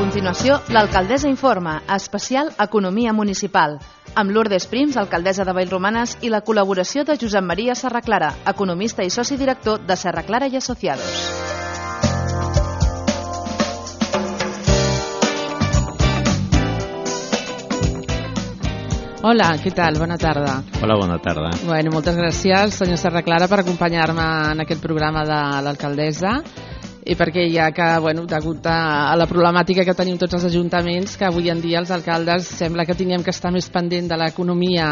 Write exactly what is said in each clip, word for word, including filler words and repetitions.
continuació, l'Alcaldessa Informa, especial Economia Municipal, amb Lourdes Prims, alcaldessa de Vallromanes, i la col·laboració de Josep Maria Serraclara, economista i soci director de Serraclara i Asociados. Hola, què tal? Bona tarda. Hola, bona tarda. Bueno, moltes gràcies, senyor Serraclara, per acompanyar-me en aquest programa de l'alcaldessa, i perquè ja que, bueno, degut a la problemàtica que tenim tots els ajuntaments, que avui en dia els alcaldes sembla que tinguem que estar més pendent de l'economia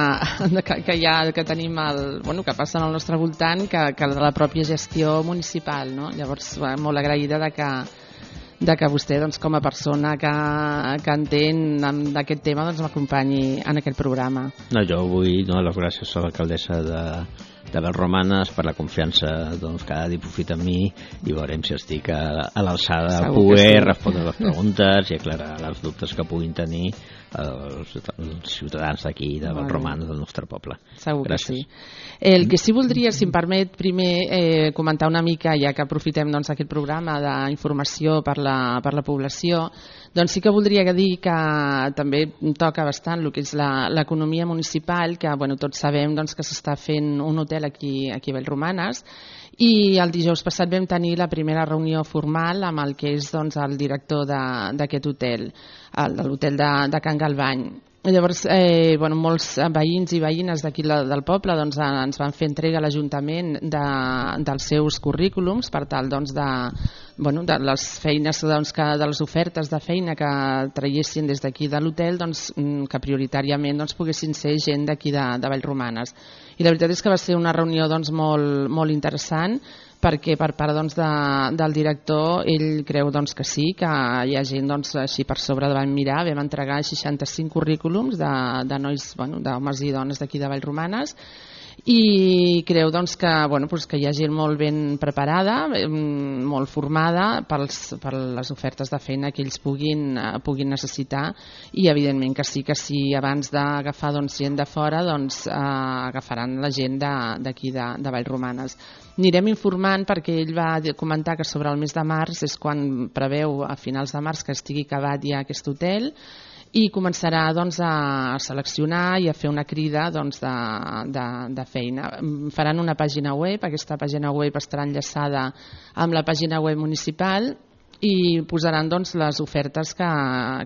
que, que ja que tenim el, bueno, que passa al nostre voltant, que, que de la pròpia gestió municipal, no? Llavors, bueno, molt agraïda de que de que vostè, doncs, com a persona que, que entén d'aquest tema, doncs, m'acompanyi en aquest programa. No, jo vull donar les gràcies a l'alcaldessa de, de Vallromanes per la confiança, doncs, que ha dipositat en mi, i veurem si estic a, a l'alçada de poder sí. respondre les preguntes i aclarar els dubtes que puguin tenir els, els ciutadans d'aquí, de Vallromanes, del nostre poble. Segur gràcies. Que sí. El que sí voldria, si em permet, primer eh, comentar una mica, ja que aprofitem, doncs, aquest programa d'informació per la, per la població, doncs sí que voldria dir que també toca bastant el que és l'economia municipal, que, bueno, tots sabem, doncs, que s'està fent un hotel aquí, aquí a Vallromanes, i el dijous passat vam tenir la primera reunió formal amb el que és, doncs, el director d'aquest hotel, el, de l'hotel de, de Can Galvany. Llavors, eh, bueno, molts veïns i veïnes d'aquí del poble, doncs, ens van fer entrega a l'Ajuntament de, dels seus currículums per tal, doncs, de, bueno, de les feines, doncs, que, de les ofertes de feina que traiessin des d'aquí de l'hotel, doncs, que prioritàriament, doncs, poguessin ser gent d'aquí de, de Vallromanes. I la veritat és que va ser una reunió, doncs, molt, molt interessant, perquè per part, doncs, de, del director ell creu, doncs, que sí, que hi ha gent, doncs, així per sobre de vam mirar, vam entregar seixanta-cinc currículums de, de nois, bueno, d'homes i dones d'aquí de Vallromanes, i creu, doncs, que, bueno, doncs, que hi ha gent molt ben preparada, molt formada pels, per les ofertes de feina que ells puguin, puguin necessitar, i evidentment que sí, que sí, abans d'agafar, doncs, gent de fora, doncs, eh, agafaran la gent d'aquí de, de Vallromanes. Anirem informant, perquè ell va comentar que sobre el mes de març és quan preveu, a finals de març, que estigui acabat ja aquest hotel, i començarà, doncs, a seleccionar i a fer una crida, doncs, de, de, de feina. Faran una pàgina web, aquesta pàgina web estarà enllaçada amb la pàgina web municipal, i posaran, doncs, les ofertes que,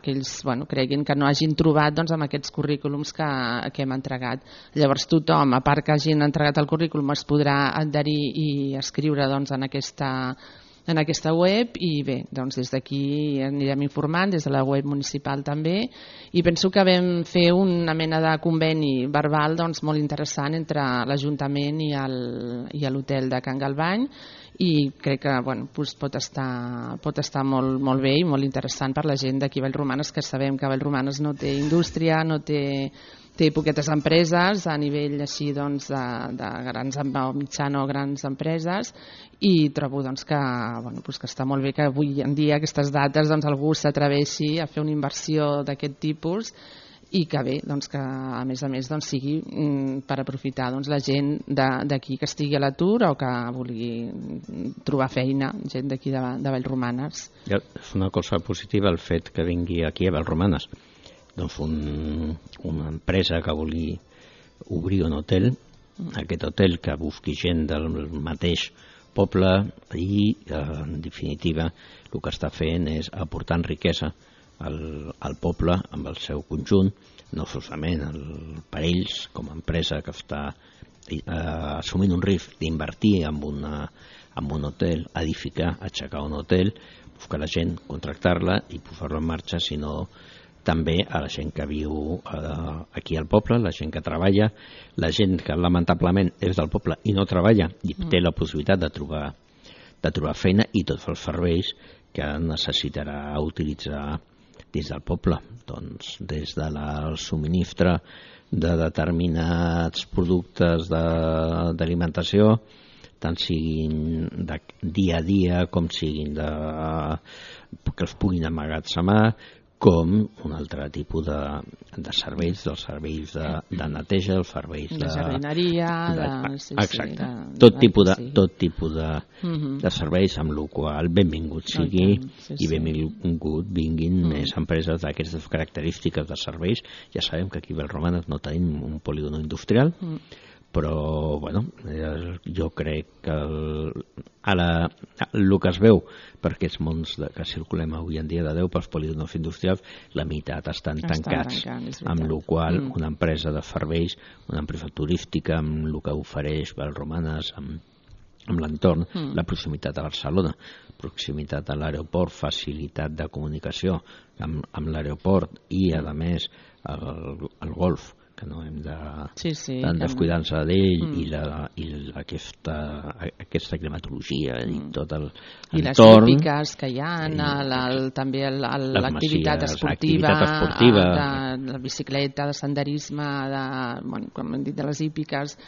que ells, bueno, creguin que no hagin trobat, doncs, amb aquests currículums que, que hem entregat. Llavors tothom, a part que hagin entregat el currículum, es podrà adherir i escriure, doncs, en aquesta en aquesta web, i bé, doncs des d'aquí anirem informant, des de la web municipal també, i penso que vam fer una mena de conveni verbal, doncs, molt interessant entre l'Ajuntament i l'hotel de Can Galvany, i crec que, bueno, doncs pot estar, pot estar molt, molt bé i molt interessant per la gent d'aquí a Vallromanes, que sabem que Vallromanes no té indústria, no té, té poquetes empreses a nivell així, doncs, de, de grans o mitjana o grans empreses, i trobo, doncs, que, bueno, doncs que està molt bé que avui en dia, aquestes dates, doncs, algú s'atreveixi a fer una inversió d'aquest tipus, i que bé, doncs, que a més a més, doncs, sigui mm, per aprofitar, doncs, la gent d'aquí que estigui a l'atur o que vulgui trobar feina, gent d'aquí de, de Vallromanes. Ja, és una cosa positiva el fet que vingui aquí a Vallromanes, doncs, un, una empresa que vulgui obrir un hotel, aquest hotel que busqui gent del mateix poble, i en definitiva el que està fent és aportant riquesa al, al poble amb el seu conjunt, no solament el, per ells com a empresa que està eh, assumint un risc d'invertir en, una, en un hotel, edificar, aixecar un hotel, buscar la gent, contractar-la i posar-la en marxa, sinó també a la gent que viu eh, aquí al poble, la gent que treballa, la gent que lamentablement és del poble i no treballa i té la possibilitat de trobar, de trobar feina, i tots els serveis que necessitarà utilitzar dins del poble, doncs, des de la subministre de determinats productes d'alimentació, tant siguin de dia a dia com siguin de, que els puguin emmagatzemar, com un altre tipus de, de serveis, dels serveis de, de neteja, els serveis de... De jardineria, de... de sí, exacte. Sí, de, tot, de, tipus de, sí. tot tipus de, uh-huh. de serveis, amb el qual benvingut sigui okay. sí, i sí. benvingut vinguin uh-huh. més empreses d'aquestes característiques de serveis. Ja sabem que aquí a Vallromanes no tenim un polígon industrial, uh-huh. però bueno, jo crec que el, ara el que es veu per aquests mons de, que circulem avui en dia de deu pels polígons industrials, la meitat estan, estan tancats, tancant, amb la qual mm. una empresa de serveis, una empresa turística amb el que ofereix Vallromanes, amb, amb l'entorn, mm. la proximitat a Barcelona, proximitat a l'aeroport, facilitat de comunicació amb, amb l'aeroport i a més el, el golf, que no hem de sí, sí, descuidar-nos d'ell mm. i, la, i la, aquesta, aquesta climatologia mm. i tot el i entorn. Les hípiques que hi ha, i, el, el, també l'activitat esportiva, esportiva. De, la bicicleta, de senderisme, de, bueno, com hem dit, de les hípiques,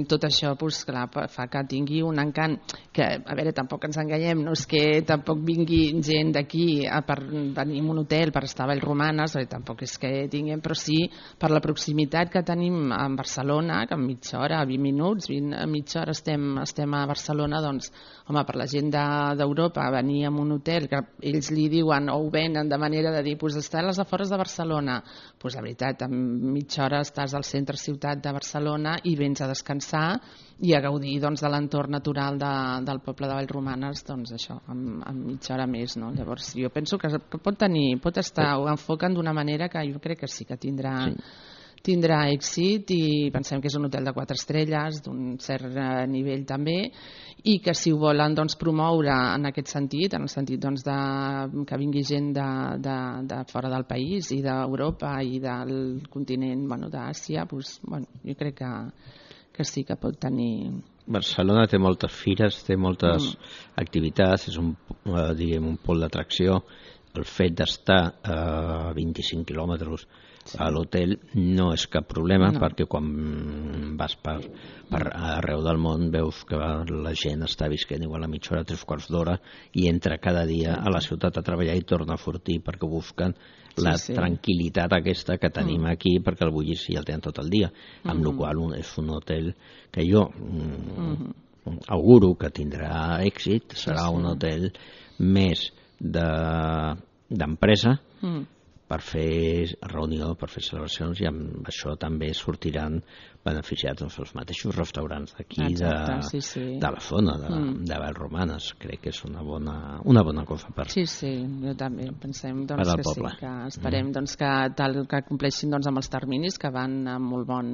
tot això pues, clar, fa que tingui un encant que, a veure, tampoc ens enganyem, no és que tampoc vingui gent d'aquí per venir a un hotel per estar a Vallromanes, tampoc és que tinguem, però sí per la proximitat que tenim a Barcelona, que en mitja hora, vint minuts, vint, a mitja hora estem, estem a Barcelona, doncs, home, per la gent d'Europa de, venir a un hotel, que ells li diuen o ho venen de manera de dir, pues està a les afores de Barcelona, pues la veritat, en mitja hora estàs al centre ciutat de Barcelona i vens a descansar i a gaudir doncs, de l'entorn natural de, del poble de Vallromanes, doncs això, amb, amb mitja hora més, no? Llavors jo penso que, que pot tenir, pot estar, ho enfoquen d'una manera que jo crec que sí que tindrà, sí. tindrà èxit i pensem que és un hotel de quatre estrelles, d'un cert nivell també, i que si ho volen doncs, promoure en aquest sentit, en el sentit doncs, de, que vingui gent de, de, de fora del país i d'Europa i del continent bueno, d'Àsia, doncs, bueno, jo crec que que sí que pot tenir... Barcelona té moltes fires, té moltes mm. activitats, és un, eh, diguem, un pol d'atracció. El fet d'estar a vint-i-cinc quilòmetres sí. a l'hotel no és cap problema, no. perquè quan vas per, per arreu del món veus que la gent està visquent igual a mitja hora, tres quarts d'hora, i entra cada dia a la ciutat a treballar i torna a sortir perquè busquen la sí, sí. tranquil·litat aquesta que tenim mm. aquí, perquè el bullici el tenen tot el dia, amb mm. la qual cosa és un hotel que jo mm, mm. auguro que tindrà èxit, serà sí, sí. un hotel més d'empresa de, mm. per fer reunió, per fer celebracions, i amb això també sortiran beneficiats doncs, els mateixos restaurants d'aquí, de, sí, sí. de la zona de, mm. de Vallromanes. Crec que és una bona, una bona cosa per Sí, sí, jo també pensem doncs, que poble. sí, que esperem mm. doncs, que, tal, que compleixin doncs, amb els terminis, que van amb molt bon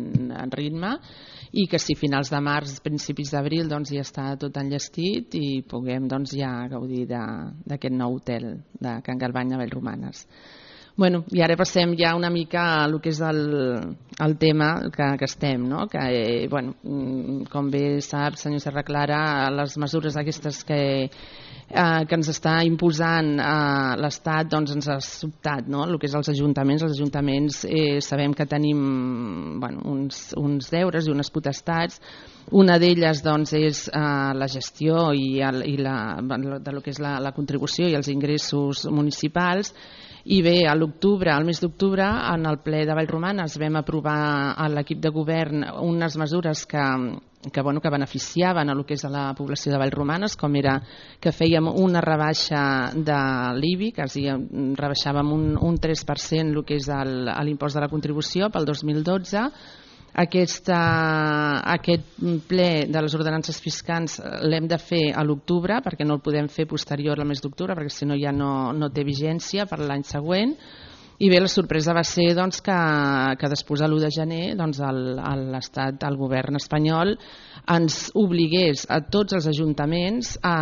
ritme, i que si finals de març, principis d'abril doncs, ja està tot enllestit i puguem doncs, ja gaudir d'aquest nou hotel de Can Galvany a Vallromanes. Bueno, i ara passem ja una mica a el que és el, el tema que, que estem, no? Que, eh, bueno, com bé sap, senyor Serra Clara, les mesures aquestes que, eh, que ens està imposant eh, l'Estat doncs ens ha sobtat, no? El que és els ajuntaments. Els ajuntaments eh, sabem que tenim bueno, uns, uns deures i unes potestats. Una d'elles doncs, és eh, la gestió i, el, i la, de lo que és la, la contribució i els ingressos municipals. I bé, a l'octubre, al mes d'octubre, en el ple de Vallromanes vam aprovar a l'equip de govern unes mesures que, que, bueno, que beneficiaven a lo que és a la població de Vallromanes, com era que fèiem una rebaixa de l'I B I, que rebaixàvem un, un tres per cent el que és l'impost de la contribució pel dos mil dotze. Aquesta, aquest ple de les ordenances fiscals l'hem de fer a l'octubre, perquè no el podem fer posterior al mes d'octubre, perquè si no ja no, no té vigència per l'any següent. I bé, la sorpresa va ser doncs, que, que després de l'u de gener doncs, l'Estat, el govern espanyol, ens obligués a tots els ajuntaments a,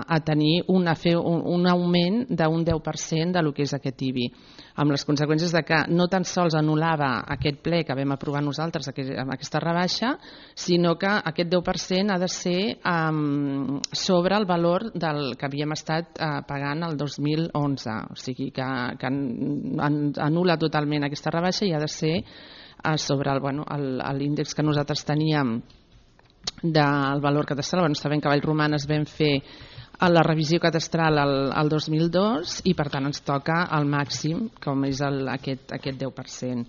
a tenir un, a fer un, un augment d'un deu per cent de lo que és aquest I B I, amb les conseqüències de que no tan sols anul·lava aquest ple que vam aprovar nosaltres amb aquesta rebaixa, sinó que aquest deu per cent ha de ser um, sobre el valor del que havíem estat uh, pagant el dos mil onze, o sigui que, que anul·la totalment aquesta rebaixa i ha de ser uh, sobre el, bueno, l'índex que nosaltres teníem del valor catastral. Bueno, sabem que a Vallromanes vam fer la revisió catastral el, el dos mil dos i per tant ens toca el màxim, com és el, aquest, aquest deu per cent.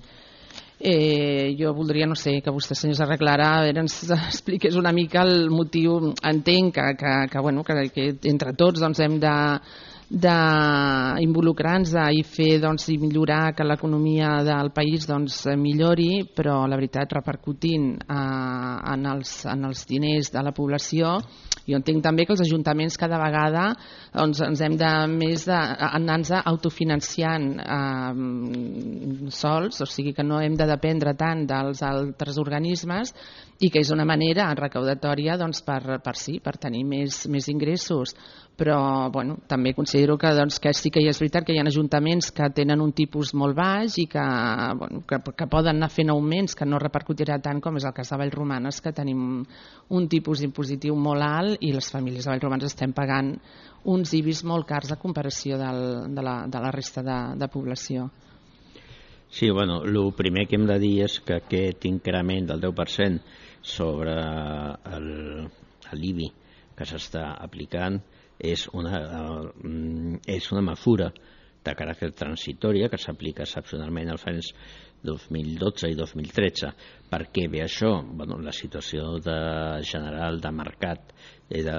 Eh, jo voldria, no sé, que vostè, senyor Serraclara, ens expliqués una mica el motiu. Entenc que, que, que, bueno, que, que entre tots doncs, hem de d'involucrar-nos i fer doncs, i millorar que l'economia del país doncs, millori, però la veritat repercutint eh, en, els, en els diners de la població. Jo entenc també que els ajuntaments cada vegada doncs, ens hem de més anar-nos autofinanciant eh, sols, o sigui que no hem de dependre tant dels altres organismes i que és una manera recaudatòria doncs, per, per, sí, per tenir més, més ingressos. Però bueno, també considero que, doncs, que sí que hi és veritat que hi ha ajuntaments que tenen un tipus molt baix i que, bueno, que, que poden anar fent augments que no repercutirà tant, com és el cas de Vallromanes, que tenim un tipus impositiu molt alt i les famílies de Vallromanes estem pagant uns I B I S molt cars a comparació del, de, la, de la resta de, de població. Sí, bueno, el primer que hem de dir és que aquest increment del deu per cent sobre l'I B I que s'està aplicant és una, uh, és una mesura de caràcter transitòria que s'aplica excepcionalment als anys dos mil dotze i dos mil tretze. Per què ve això? Bueno, la situació de general de mercat i de,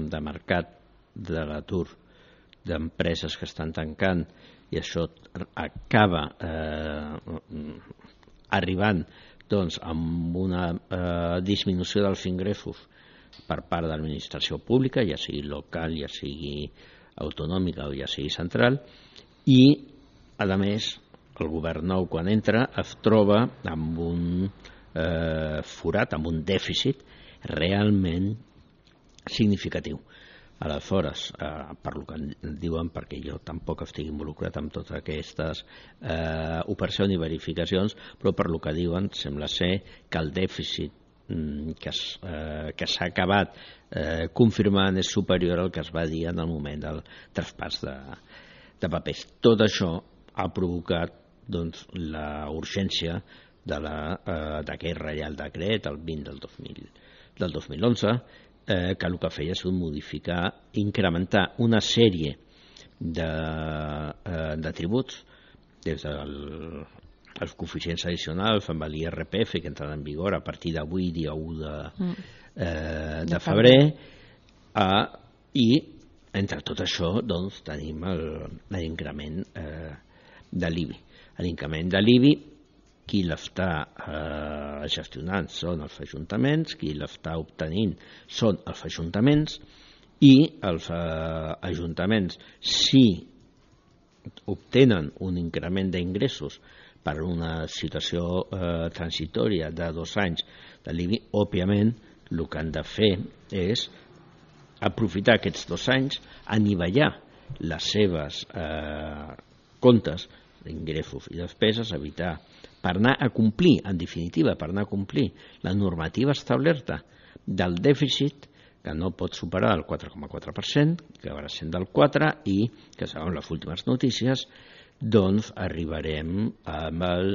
de mercat de l'atur d'empreses que estan tancant, i això acaba eh, arribant doncs, amb una eh, disminució dels ingressos per part de l'administració pública, ja sigui local, ja sigui autonòmica o ja sigui central, i a més el govern nou quan entra es troba amb un eh, forat, amb un dèficit realment significatiu. Aleshores, eh, per lo que diuen, perquè jo tampoc estic involucrat en totes aquestes eh, operacions i verificacions, però per lo que diuen sembla ser que el dèficit que, eh, que s'ha acabat eh, confirmant és superior al que es va dir en el moment del traspàs de, de papers. Tot això ha provocat doncs, la urgència de la, eh, d'aquest Reial Decret, el vint del dos mil, del dos mil onze, eh, que el que feia és modificar, incrementar una sèrie de, eh, de tributs des del els coeficients addicionals amb l'I R P F que entran en vigor a partir d'avui, dia u de, eh, de febrer, eh, i entre tot això doncs, tenim l'increment eh, de l'I B I. L'increment de l'I B I, qui l'està eh, gestionant són els ajuntaments, qui l'està obtenint són els ajuntaments, i els eh, ajuntaments, si obtenen un increment d'ingressos per una situació eh, transitòria de dos anys de l'I B I, òbviament el que han de fer és aprofitar aquests dos anys, anivellar les seves eh, comptes d'ingressos i despeses, evitar, per anar a complir, en definitiva, per anar a complir la normativa establerta del dèficit, que no pot superar el quatre coma quatre per cent, que acabarà sent del quatre, i que segons les últimes notícies doncs arribarem amb el,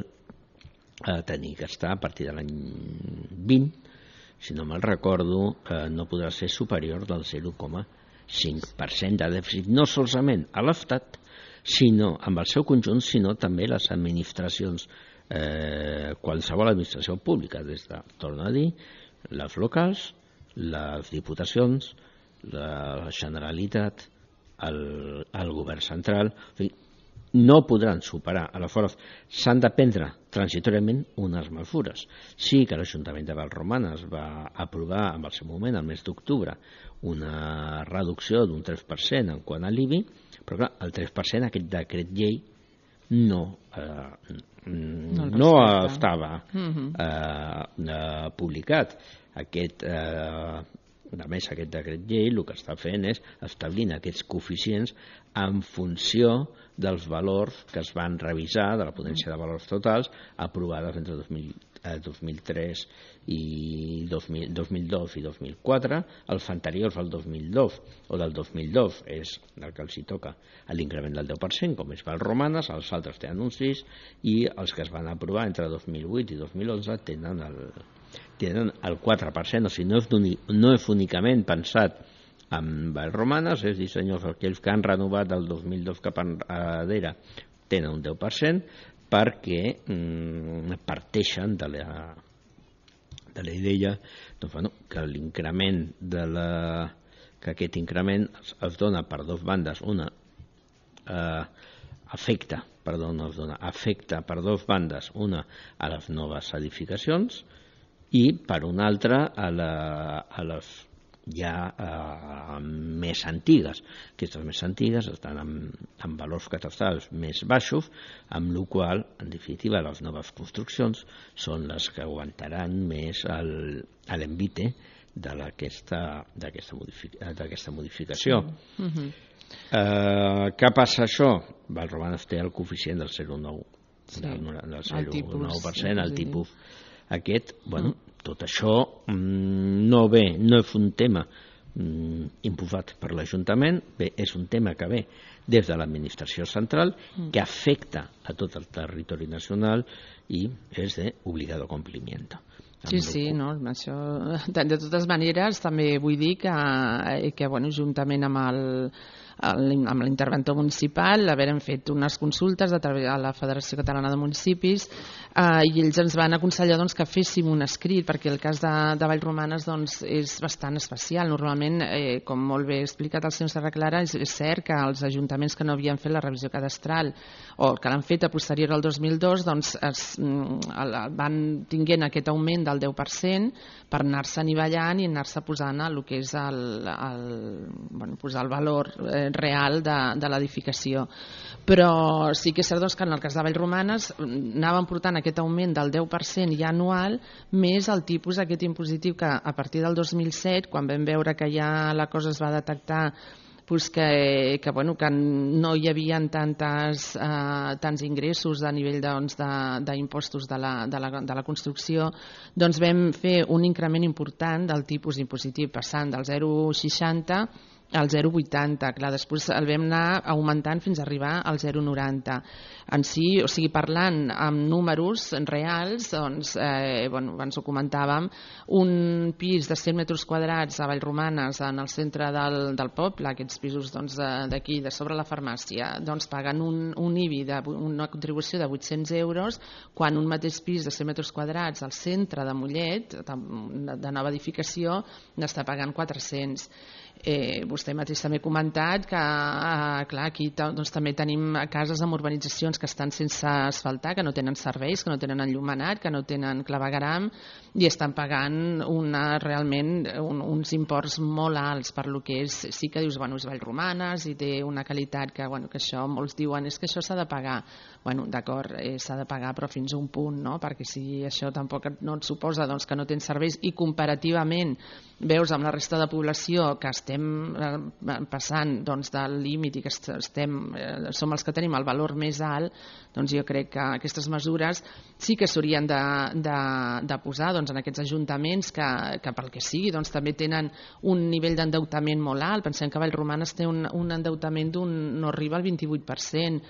a tenir que estar a partir de l'any vint, si no me'l recordo, eh, no podrà ser superior del zero coma cinc per cent de dèficit, no solament a l'Estat, sinó amb el seu conjunt, sinó també les administracions, eh, qualsevol administració pública, des de, torno a dir, les locals, les diputacions, la Generalitat, el, el govern central, o sigui, no podran superar. Aleshores, s'han de prendre transitòriament unes mesures. Sí que l'Ajuntament de Vallromanes va aprovar en el seu moment, el mes d'octubre, una reducció d'un tres per cent en quant a l'I B I, però clar, el tres per cent aquest decret llei no, eh, no, no estava eh, eh, publicat. Aquest, eh, a més, aquest decret llei el que està fent és establint aquests coeficients en funció dels valors que es van revisar de la ponència de valors totals aprovades entre dos mil, eh, dos mil tres i dos mil, dos mil dos i dos mil quatre, els anteriors al dos mil dos o del dos mil dos és el que els hi toca l'increment del deu per cent, com és Vallromanes, els altres tenen un sis, i els que es van aprovar entre dos mil vuit i dos mil onze tenen el, tenen el quatre per cent, o sigui, no és, no és únicament pensat en Vallromanes, és dir, senyors, aquells que han renovat del dos mil dos cap enrere tenen un deu per cent perquè mm, parteixen de la, de la idea doncs, bueno, que l'increment de la que aquest increment es, es dona per dues bandes, una eh, afecta, perdó, no es dona, afecta per dues bandes, una a les noves edificacions i per una altra a, la, a les ja eh, més antigues. Aquestes més antigues estan amb, amb valors catastrals més baixos, amb la qual cosa, en definitiva, les noves construccions són les que aguantaran més l'envite d'aquesta modific modificació. Sí. Uh-huh. eh, què passa això? Vallromanes té el coeficient del zero coma nou, sí. del, del zero coma nou per cent, el tipus aquest, bueno, uh-huh. tot això mm, no ve, no és un tema mm, imposat per l'Ajuntament, bé, és un tema que ve des de l'administració central, uh-huh. que afecta a tot el territori nacional i és d'obligado compliment. Sí, sí, no, això, de, de totes maneres també vull dir que, que bueno, juntament amb el amb l'interventor municipal haverem fet unes consultes a través de la Federació Catalana de Municipis eh, i ells ens van aconsellar doncs, que féssim un escrit, perquè el cas de, de Vallromanes doncs, és bastant especial. Normalment, eh, com molt bé explicat el senyor Serraclara, és, és cert que els ajuntaments que no havien fet la revisió cadastral o que l'han fet a posterior al dos mil dos doncs, es, el, van tinguent aquest augment del deu per cent per anar-se anivellant i anar-se posant el que és el, el, bueno, posar el valor eh, real de, de l'edificació. Però sí que és cert doncs, que en el cas de Vallromanes anàvem portant aquest augment del deu per cent ja anual més el tipus aquest impositiu que a partir del dos mil set, quan vam veure que ja la cosa es va detectar pues que, que, bueno, que no hi havia tantes, eh, tants ingressos a nivell d'impostos doncs, de, de, la, de, la, de la construcció, doncs vam fer un increment important del tipus impositiu, passant del zero coma seixanta al zero coma vuitanta. Clar, després el vam anar augmentant fins a arribar al zero coma noranta. En si, o sigui, parlant amb números reals, doncs, eh, bueno, abans ho comentàvem, un pis de cent metres quadrats a Vallromanes, en el centre del, del poble, aquests pisos d'aquí, doncs, de sobre la farmàcia, doncs paguen un, un I B I, de, una contribució de vuit-cents euros, quan un mateix pis de cent metres quadrats al centre de Mollet, de, de nova edificació, n'està pagant quatre-cents. Eh, vostè mateix també ha comentat que eh, clar, aquí doncs, també tenim cases amb urbanitzacions que estan sense asfaltar, que no tenen serveis, que no tenen enllumenat, que no tenen clavegueram i estan pagant una, realment un, uns imports molt alts per lo que és, sí que dius, bueno, és Vallromanes i té una qualitat que, bueno, que això molts diuen és que això s'ha de pagar. Bueno, d'acord, eh, s'ha de pagar però fins a un punt, no? Perquè si això tampoc no et suposa doncs, que no tens serveis i comparativament veus amb la resta de població que estem passant doncs, del límit i que estem, eh, som els que tenim el valor més alt, doncs jo crec que aquestes mesures sí que s'haurien de, de, de posar doncs, en aquests ajuntaments que, que pel que sigui doncs, també tenen un nivell d'endeutament molt alt. Pensem que Vallromanes té un, un endeutament d'un no arriba al vint-i-vuit per cent.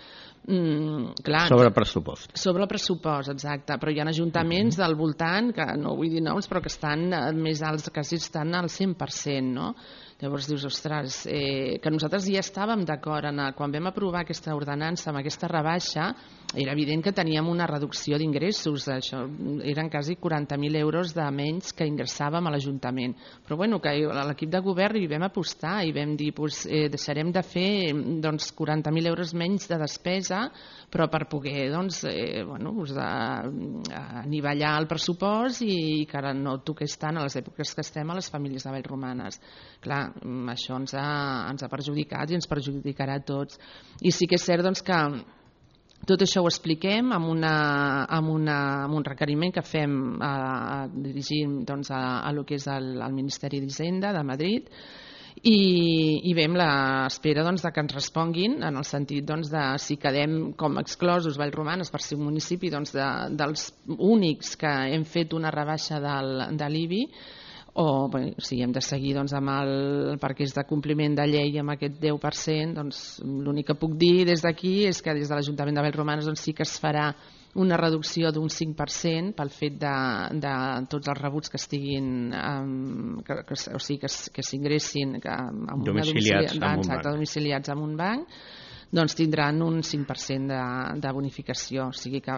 Mm, clar, sobre pressupost. Sobre pressupost, exacte, però hi ha ajuntaments del voltant, que no vull dir noms, però que estan més alts, quasi estan al cent per cent, no? Llavors dius, ostres, eh, que nosaltres ja estàvem d'acord en, quan vam aprovar aquesta ordenança amb aquesta rebaixa, era evident que teníem una reducció d'ingressos, això eren quasi quaranta mil euros de menys que ingressàvem a l'Ajuntament, però bueno, que a l'equip de govern hi vam apostar i vam dir, pues, eh, deixarem de fer doncs, quaranta mil euros menys de despesa, però per poder doncs, eh, bueno, pues, a, a anivellar el pressupost i que ara no toqués tant a les èpoques que estem a les famílies de Vallromanes. Clar, això ens ha, ens ha perjudicat i ens perjudicarà a tots. I sí que és cert doncs, que tot això ho expliquem amb, una, amb, una, amb un requeriment que fem a, a dirigir doncs, a, a lo que és el, el Ministeri d'Hisenda de Madrid i, i vam l'espera doncs, de que ens responguin en el sentit doncs, de si quedem com exclosos Vallromanes per ser un municipi doncs, de, dels únics que hem fet una rebaixa del, de l'I B I o bé, si hem de seguir doncs, amb el, perquè és de compliment de llei amb aquest deu per cent, doncs l'únic que puc dir des d'aquí és que des de l'Ajuntament de Vallromanes doncs, sí que es farà una reducció d'un cinc per cent pel fet de, de tots els rebuts que estiguin, um, que, que, o sigui, que, que s'ingressin amb domiciliats, una amb un exacte, banc. domiciliats en un banc, doncs tindran un cinc per cent de, de bonificació, o sigui que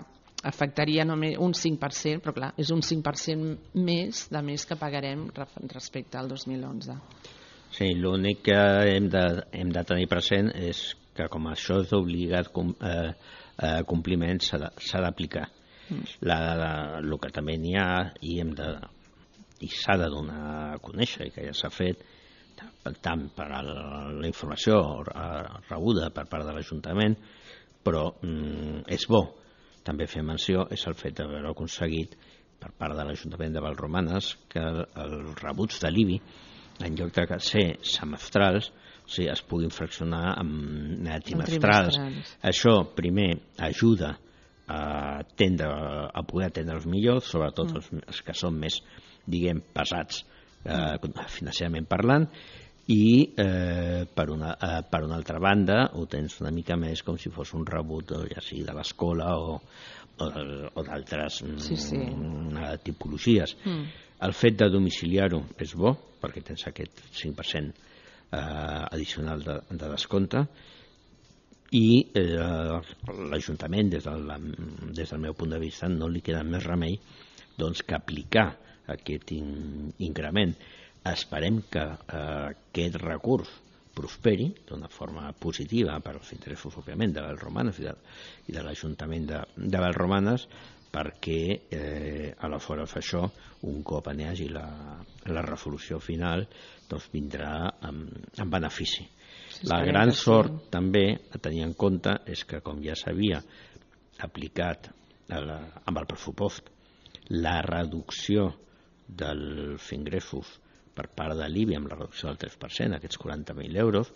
afectaria només un cinc per cent, però clar, és un cinc per cent més de més que pagarem respecte al dos mil onze. Sí, l'únic que hem de, hem de tenir present és que com això és d'obligat com, eh, eh, compliment s'ha d'aplicar. Mm. El que també n'hi ha i hem de i s'ha de donar a conèixer i que ja s'ha fet tant per a la informació rebuda per part de l'Ajuntament, però mm, és bo també fer menció, és el fet d'haver aconseguit per part de l'Ajuntament de Vallromanes que els rebuts de l'I B I, en lloc de ser semestrals, o sigui, es puguin fraccionar en trimestrals. Això, primer, ajuda a, atendre, a poder atendre'ls millor, sobretot mm. els, els que són més, diguem, pesats eh, financerament parlant, i eh, per, una, eh, per una altra banda ho tens una mica més com si fos un rebut ja sigui de l'escola o, o, o d'altres sí, sí. mm, tipologies. Mm. El fet de domiciliar-ho és bo perquè tens aquest cinc per cent eh, addicional de, de descompte i eh, l'Ajuntament des, del, des del meu punt de vista no li queda més remei doncs, que aplicar aquest in, increment. Esperem que eh, aquest recurs prosperi d'una forma positiva per als interessos, òbviament, de Vallromanes i de, i de l'Ajuntament de, de Vallromanes, perquè eh, aleshores això, un cop n'hi hagi la, la resolució final, doncs vindrà amb, amb benefici. La gran sort també a tenir en compte és que, com ja s'havia aplicat la, amb el pressupost la reducció dels ingressos per part de l'I B I amb la reducció del tres per cent, aquests quaranta mil euros,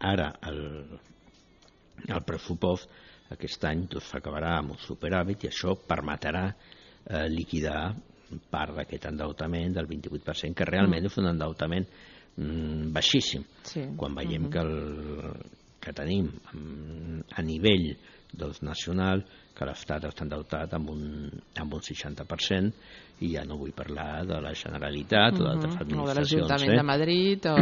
ara el, el pressupost aquest any s'acabarà amb un superàvit i això permetrà eh, liquidar part d'aquest endeutament del vint-i-vuit per cent, que realment mm. és un endeutament mm, baixíssim. Sí. Quan veiem mm-hmm. que, el, que tenim a nivell doncs, nacional, que l'Estat està endeutat amb un, amb un seixanta per cent i ja no vull parlar de la Generalitat mm-hmm. o d'altres administracions. O de l'Ajuntament eh? de Madrid. O...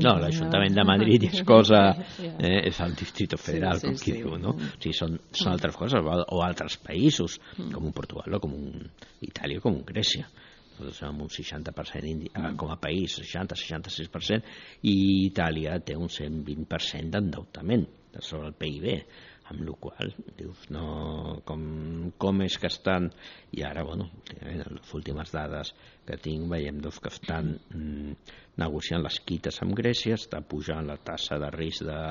No, l'Ajuntament de Madrid és cosa... Eh, és el Distrito Federal, sí, sí, com qui sí. diu, no? O sigui, són, són altres coses, o altres països, mm. com un Portugal o com un Itàlia o com un Grècia. Nosaltres amb un seixanta per cent indi... mm. com a país, seixanta a seixanta-sis per cent, i Itàlia té un cent vint per cent d'endeutament sobre el P I B, amb la qual dius, no, com, com és que estan, i ara, bueno, en les últimes dades que tinc, veiem doncs, que estan mm, negociant les quites amb Grècia, està pujant la tassa de risc de,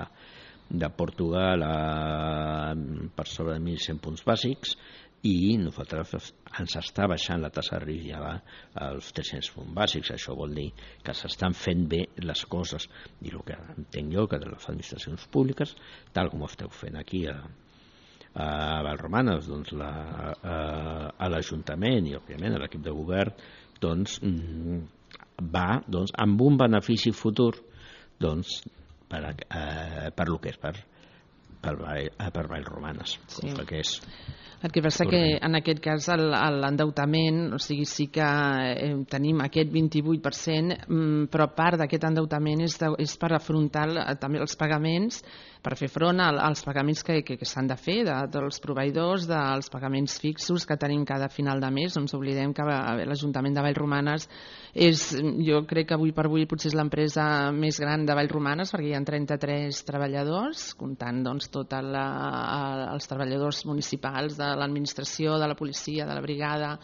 de Portugal a, per sobre de mil cent punts bàsics, i nosaltres ens està baixant la tassa de risc ja als tres-cents punts bàsics. Això vol dir que s'estan fent bé les coses, i el que entenc jo que de les administracions públiques, tal com ho esteu fent aquí a, a Vallromanes, doncs la, a, a l'Ajuntament i òbviament a l'equip de govern, doncs va doncs, amb un benefici futur doncs, per, eh, per lo que és per per, per Vallromanes, sí. com que és. El que passa que en aquest cas l'endeutament, o sigui, sí que eh, tenim aquest vint-i-vuit per cent, però part d'aquest endeutament és, de, és per afrontar també els pagaments, per fer front als pagaments que, que, que s'han de fer de, dels proveïdors, dels pagaments fixos que tenim cada final de mes. No ens oblidem que l'Ajuntament de Vallromanes és, jo crec que avui per avui potser és l'empresa més gran de Vallromanes, perquè hi ha trenta-tres treballadors, comptant doncs, tots els treballadors municipals de l'administració, de la policia, de la brigada.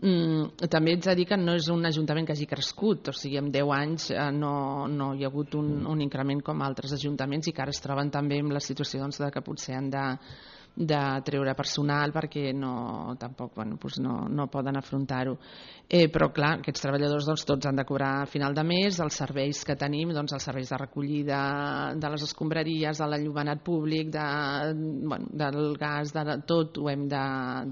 Mm, també ets a dir que no és un ajuntament que hagi crescut, o sigui, en deu anys eh, no, no hi ha hagut un, un increment com altres ajuntaments i que ara es troben també en la situació doncs, de que potser han de, de treure personal perquè no, tampoc, bueno, doncs no, no poden afrontar-ho. Eh, però clar, aquests treballadors doncs, tots han de cobrar a final de mes, els serveis que tenim, doncs, els serveis de recollida de les escombraries, de l'enllumenat públic, de, bueno, del gas, de tot ho hem de,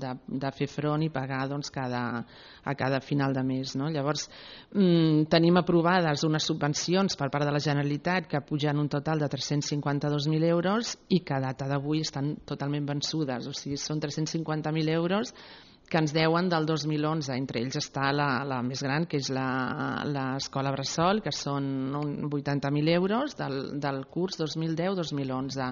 de, de fer front i pagar doncs, cada, a cada final de mes. No? Llavors, mm, tenim aprovades unes subvencions per part de la Generalitat que pugen un total de tres-cents cinquanta-dos mil euros i que a data d'avui estan totalment vençudes, o sigui, són tres-cents cinquanta mil euros que ens deuen del dos mil onze. Entre ells està la, la més gran, que és l'escola Bressol, que són vuitanta mil euros del, del curs dos mil deu dos mil onze.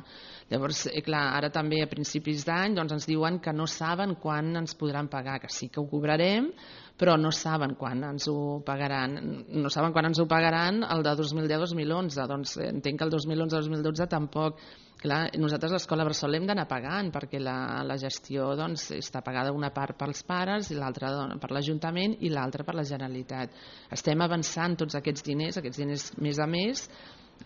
Llavors, eh, clar, ara també a principis d'any doncs, ens diuen que no saben quan ens podran pagar, que sí que ho cobrarem, però no saben quan ens ho pagaran. No saben quan ens ho pagaran el de dos mil deu dos mil onze. Doncs eh, entenc que el dos mil onze dos mil dotze tampoc. Clar, nosaltres l'escola Bressol l'hem d'anar pagant perquè la, la gestió doncs, està pagada una part pels pares i l'altra per l'Ajuntament i l'altra per la Generalitat. Estem avançant tots aquests diners, aquests diners més a més,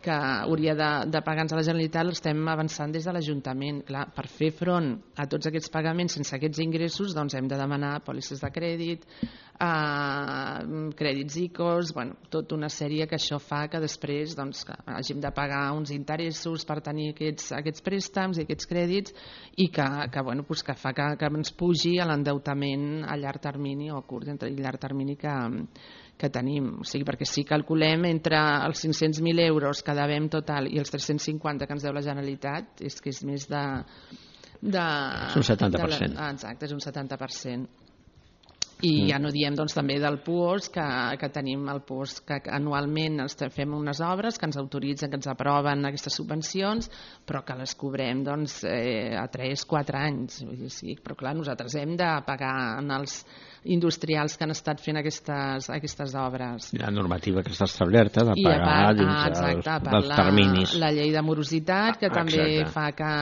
que hauria de, de pagar-nos a la Generalitat, l'estem avançant des de l'Ajuntament. Clar, per fer front a tots aquests pagaments sense aquests ingressos doncs hem de demanar pòlisses de crèdit, eh, crèdits I C Os, bueno, tota una sèrie que això fa que després doncs, que hàgim de pagar uns interessos per tenir aquests, aquests préstecs i aquests crèdits i que, que, bueno, pues que fa que, que ens pugi a l'endeutament a llarg termini o a curt i llarg termini que, que tenim. O sigui, perquè si calculem entre els cinc-cents mil euros que devem total i els tres-cents cinquanta que ens deu la Generalitat, és que és més de... de és un setanta per cent. De la, exacte, és un setanta per cent. I ja no diem doncs, també del P U O S, que, que tenim el P U O S que anualment fem unes obres que ens autoritzen, que ens aproven aquestes subvencions, però que les cobrem doncs, eh, a tres quatre anys. Sí, però clar, nosaltres hem de pagar en els industrials que han estat fent aquestes, aquestes obres. La normativa que està establerta de I pagar part, dins ah, exacte, els, dels terminis. La, la llei de morositat, que ah, també exacte. fa que,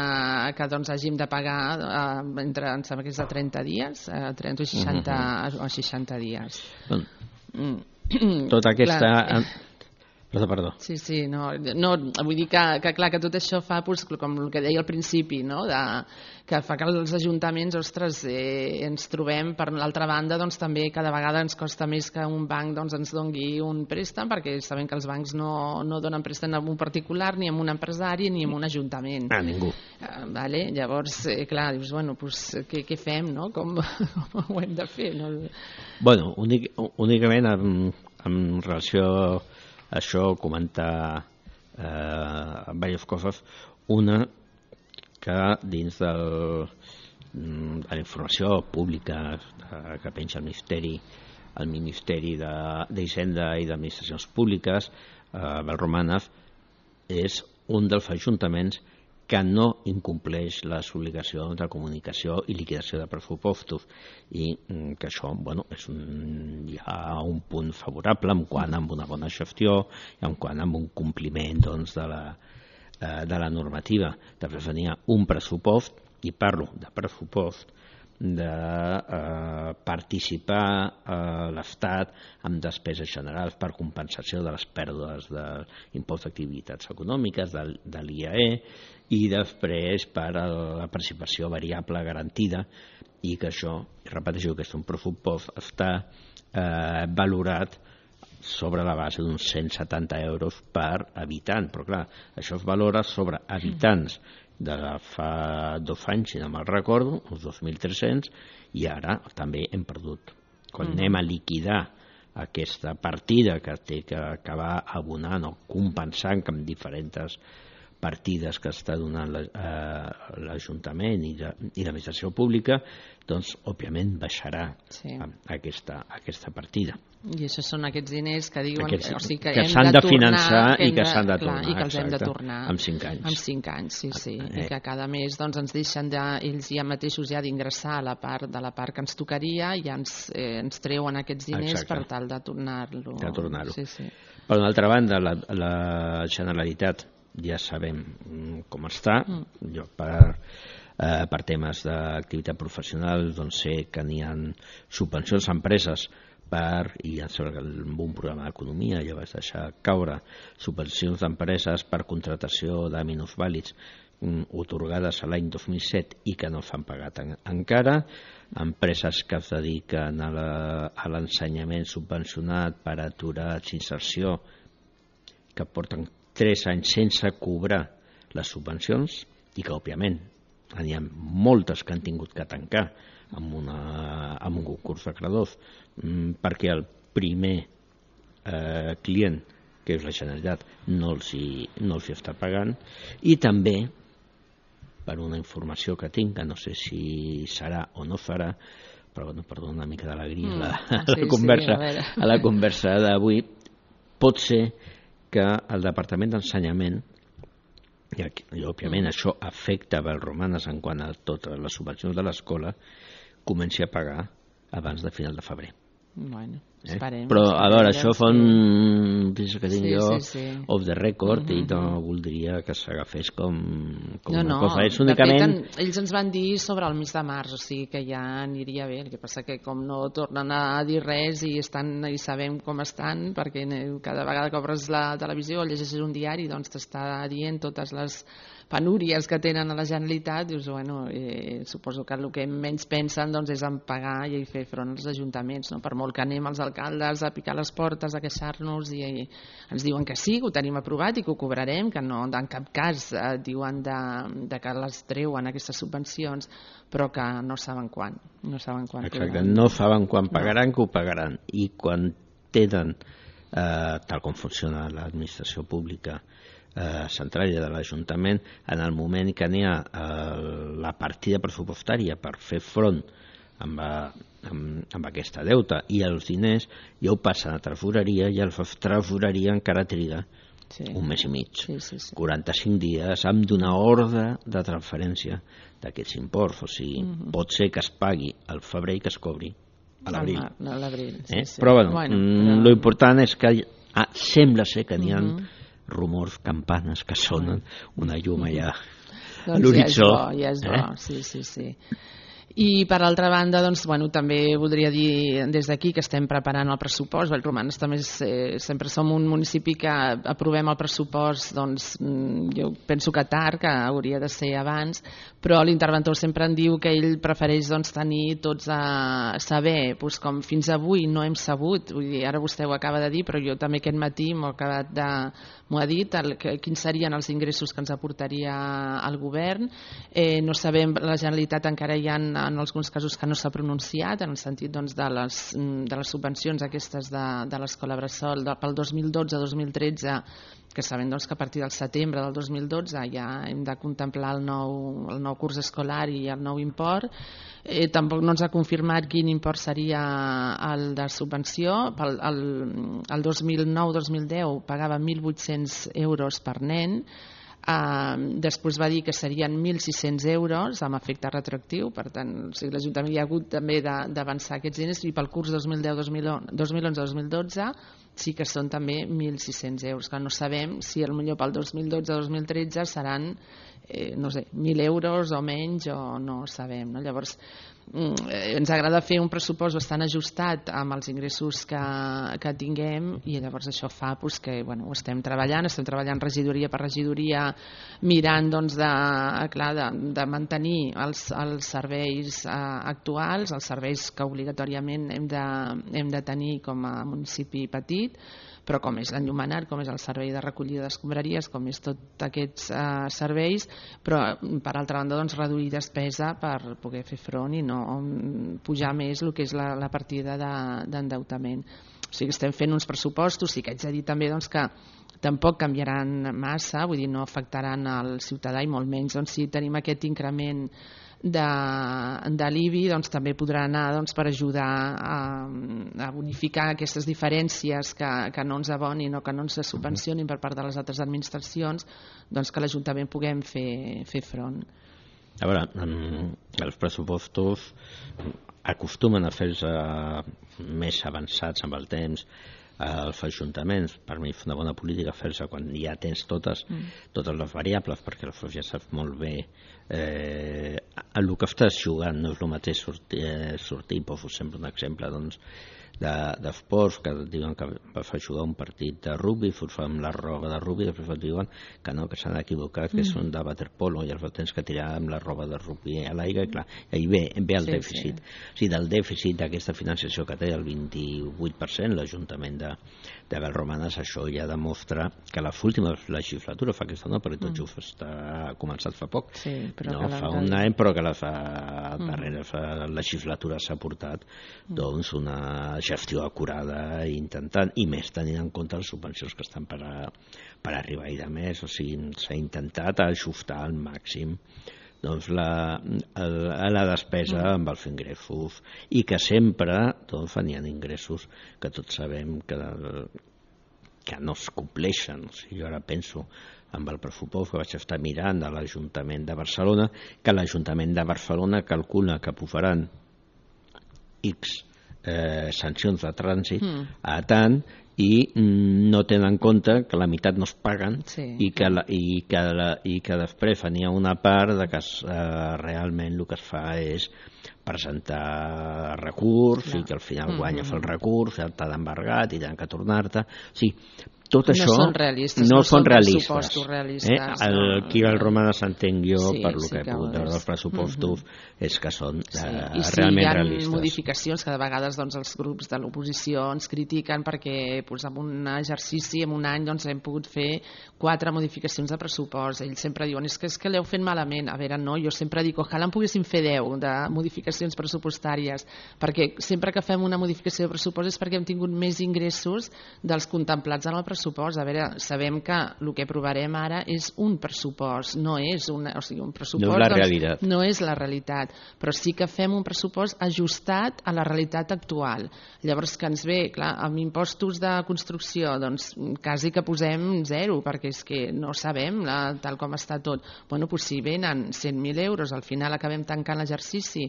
que doncs, hàgim de pagar eh, entre, em sembla que és de trenta dies, eh, trenta o seixanta, uh-huh. o seixanta dies. Bon. Mm. Tota aquesta... Clar. Perdó, perdó. Sí, sí, no, no vull dir que, que clar, que tot això fa, doncs, com el que deia al principi, no? De, que fa que els ajuntaments, ostres, eh, ens trobem, per l'altra banda, doncs també cada vegada ens costa més que un banc doncs, ens doni un préstec, perquè sabem que els bancs no, no donen préstec a un particular, ni a un empresari, ni a un ajuntament. A ningú. Eh, vale? Llavors, eh, clar, dius, bueno, pues, què, què fem, no? Com, com ho hem de fer? No? Bueno, únic, únicament en, en relació a això, comentar eh, diverses coses. Una, que dins del, de la informació pública que penja el Ministeri, el Ministeri d'Hisenda i d'Administracions Públiques, eh, Vallromanes, és un dels ajuntaments que no incompleix les obligacions de comunicació i liquidació de pressupostos, i que això, bueno, és un, hi ha un punt favorable en quant a una bona gestió i en quant a un compliment doncs, de, la, de la normativa. Després venia un pressupost, i parlo de pressupost, de eh, participar a l'Estat amb despeses generals per compensació de les pèrdues de l'impost d'activitats econòmiques, de, de l'I A E, i després per a la participació variable garantida, i que això, repeteixo, que és un pressupost, està eh, valorat sobre la base d'uns cent setanta euros per habitant, però clar, això es valora sobre habitants de fa dos anys, si no me'n recordo, uns dos mil tres-cents, i ara també hem perdut. Quan mm. anem a liquidar aquesta partida que té que acabar abonant o compensant amb diferents partides que està donant l'Ajuntament i l'administració pública, doncs, òbviament, baixarà sí. aquesta, aquesta partida. I això són aquests diners que diuen aquests, o sigui, que, que hem s'han de, de finançar tornar, i que s'han de tornar. Clar, i que els hem de tornar. En cinc anys. En cinc anys, sí, sí. Eh. I que cada mes doncs, ens deixen de, ells ja mateixos ja d'ingressar a la part de la part que ens tocaria i ja ens, eh, ens treuen aquests diners Exacte. Per tal de tornar-lo. De tornar-ho. Sí, sí. Per una altra banda, la, la Generalitat ja sabem com està. Mm. Jo per, eh, per temes d'activitat professional doncs sé que n'hi ha subvencions a empreses per, i amb un programa d'economia ja vaig deixar caure, subvencions d'empreses per contratació de minusvàlids otorgades a l'any dos mil set i que no s'han pagat en, encara, empreses que es dediquen a l'ensenyament subvencionat per aturats, inserció, que porten tres anys sense cobrar les subvencions i que, òbviament, n'hi ha moltes que han tingut que tancar amb, una, amb un concurs de credors, mm, perquè el primer eh, client, que és la Generalitat, no els, hi, no els hi està pagant, i també, per una informació que tinc, que no sé si serà o no farà, però bueno, perdó, una mica d'alegria mm, a, sí, la conversa, sí, a, a la conversa d'avui, pot ser que el Departament d'Ensenyament, i, i òbviament mm. això afecta Vallromanes en quant a totes les subvencions de l'escola, comenci a pagar abans de final de febrer. Bueno, eh? esperem. Però a veure, això fa un notícia que tinc sí, jo sí, sí. off the record mm-hmm. i no voldria que s'agafés com, com no, una no. cosa. És únicament... De fet, en, ells ens van dir sobre el mes de març, o sigui que ja aniria bé. El que passa que com no tornen a dir res i estan i sabem com estan, perquè cada vegada que obres la televisió o llegeixes un diari, doncs t'està dient totes les penúries que tenen a la Generalitat, dius, bueno, eh, suposo que el que menys pensen doncs, és en pagar i fer front als ajuntaments, no? Per molt que anem als alcaldes a picar les portes, a queixar-nos, i, i ens diuen que sí, que ho tenim aprovat i que ho cobrarem, que no, en cap cas eh, diuen de, de que les treuen aquestes subvencions, però que no saben quan. No saben quan. Exacte, podran. No saben quan pagaran, no. que ho pagaran. I quan tenen, eh, tal com funciona l'administració pública, Eh, central de l'Ajuntament, en el moment que n'hi ha eh, la partida pressupostària per fer front amb, amb, amb aquesta deuta i els diners, ja ho passen a tresoreria i el tresoreria encara triga sí. un mes i mig, sí, sí, sí. quaranta-cinc dies, amb donar ordre de transferència d'aquests imports. O sigui, mm-hmm. pot ser que es pagui al febrer i que es cobri a l'abril. A l'abril, sí, eh? sí. Però, bueno, bueno però... lo important és que ah, sembla ser que n'hi ha mm-hmm. rumors, campanes que sonen, una llum allà doncs a l'horitzó. Ja és bo, ja és bo, eh? sí, sí, sí. I per altra banda, doncs, bueno, també voldria dir des d'aquí que estem preparant el pressupost. Vallromanes també és, eh, sempre som un municipi que aprovem el pressupost, doncs, jo penso que tard, que hauria de ser abans, però l'interventor sempre en diu que ell prefereix doncs, tenir tots a saber, doncs, com fins avui no hem sabut, vull dir, ara vostè ho acaba de dir, però jo també aquest matí m'ho acabat de m'ho ha dit, el, que, quins serien els ingressos que ens aportaria el govern. Eh, no sabem, la Generalitat encara hi ha en alguns casos que no s'ha pronunciat, en el sentit doncs, de, les, de les subvencions aquestes de, de l'escola Bressol de, pel dos mil dotze dos mil tretze, que sabem doncs, que a partir del setembre del dos mil dotze ja hem de contemplar el nou, el nou curs escolar i el nou import. Eh, tampoc no ens ha confirmat quin import seria el de subvenció. Pel, el, el dos mil nou dos mil deu pagava mil vuit-cents euros per nen. Uh, després va dir que serien mil sis-cents euros amb efecte retroactiu, per tant o sigui, l'Ajuntament hi ha hagut també d'avançar aquests diners, i pel curs dos mil deu dos mil onze dos mil dotze sí que són també mil sis-cents euros, que no sabem si potser pel dos mil dotze dos mil tretze seran eh, no sé, mil euros o menys, o no sabem, no? Llavors eh, ens agrada fer un pressupost bastant ajustat amb els ingressos que, que tinguem, i llavors això fa pues, que bueno, ho estem treballant, estem treballant regidoria per regidoria, mirant doncs, de, clar, de, de mantenir els, els serveis eh, actuals, els serveis que obligatòriament hem de, hem de tenir com a municipi petit, però com és l'enllumenat, com és el servei de recollida d'escombraries, com és tots aquests eh, serveis, però per altra banda doncs, reduir despesa per poder fer front i no pujar més el que és la, la partida d'endeutament. O sigui, estem fent uns pressupostos, sí que haig de dir també doncs, que tampoc canviaran massa, vull dir, no afectaran al ciutadà, i molt menys doncs, si tenim aquest increment de, de l'I B I, doncs, també podrà anar doncs, per ajudar a, a bonificar aquestes diferències que, que no ens abonin o que no ens subvencionin per part de les altres administracions, doncs, que l'Ajuntament puguem fer, fer front. A veure, els pressupostos acostumen a fer-se més avançats amb el temps als ajuntaments. Per mi és una bona política fer-se quan ja tens totes, mm. totes les variables, perquè aleshores ja saps molt bé eh, el que estàs jugant. No és el mateix sortir, eh, sortir poso sempre un exemple, doncs, d'esports, que diuen que fa jugar un partit de rugby, fos amb la roba de rugby, després diuen que no, que s'han equivocat, que són de waterpolo i els tens que tirar amb la roba de rugby a l'aigua, i clar, ahir ve, ve el dèficit. O sigui, del dèficit d'aquesta financiació que té el vint-i-vuit per cent l'Ajuntament de, de Vallromanes, això ja demostra que la última legislatura, fa aquesta no, perquè tot just està començat fa poc, no, fa un any, però que la fa darrere fa legislatura s'ha portat doncs una gestió acurada intentant, i més tenint en compte les subvencions que estan per, a, per arribar i de més, o sigui, s'ha intentat ajustar al màxim doncs la, la, la despesa amb els ingressos, i que sempre doncs, venien ingressos que tots sabem que, que no es compleixen. O sigui, jo ara penso amb el pressupost que vaig estar mirant a l'Ajuntament de Barcelona, que l'Ajuntament de Barcelona calcula que posaran X eh, sancions de trànsit mm. a tant, i no tenen en compte que la meitat no es paguen, sí. i, que la, i, que la, i que després venia una part de que eh, realment el que es fa és presentar recurs, no. i que al final guanya mm-hmm. el recurs, t'ha d'embargat i tenen que tornar-te. O sigui, tot no això són realistes, no, no són són realistes. realistes eh? El, aquí al Romana s'entenc jo, sí, per lo sí que he pogut veure dels pressupostos, mm-hmm. és que són sí. eh, I sí, realment hi ha realistes. Modificacions que de vegades doncs, els grups de l'oposició ens critiquen perquè pues, en un exercici, en un any, doncs, hem pogut fer quatre modificacions de pressupost. Ells sempre diuen, és que, és que l'heu fet malament. A veure, no, jo sempre dic, ojalà en poguéssim fer deu de modificacions pressupostàries, perquè sempre que fem una modificació de pressupost és perquè hem tingut més ingressos dels contemplats en el pressupost. A veure, sabem que el que aprovarem ara és un pressupost, no és una, o sigui, un pressupost, no és la realitat. Doncs, no és la realitat, però sí que fem un pressupost ajustat a la realitat actual. Llavors que ens ve, clar, amb impostos de construcció, doncs quasi que posem zero, perquè és que no sabem la, tal com està tot. Bueno, doncs si venen cent mil euros, al final acabem tancant l'exercici,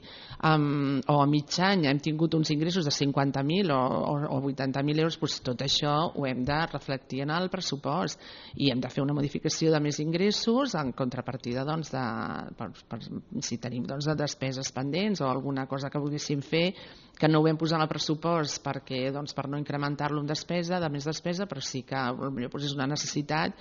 um, o a mig any hem tingut uns ingressos de cinquanta mil o, o, o vuitanta mil euros, doncs tot això ho hem de reflectir en el pressupost, i hem de fer una modificació de més ingressos en contrapartida doncs, de, per, per, si tenim doncs, de despeses pendents o alguna cosa que volguéssim fer que no ho vam posar en el pressupost perquè, doncs, per no incrementar-lo en despesa, de més despesa, però sí que potser doncs, és una necessitat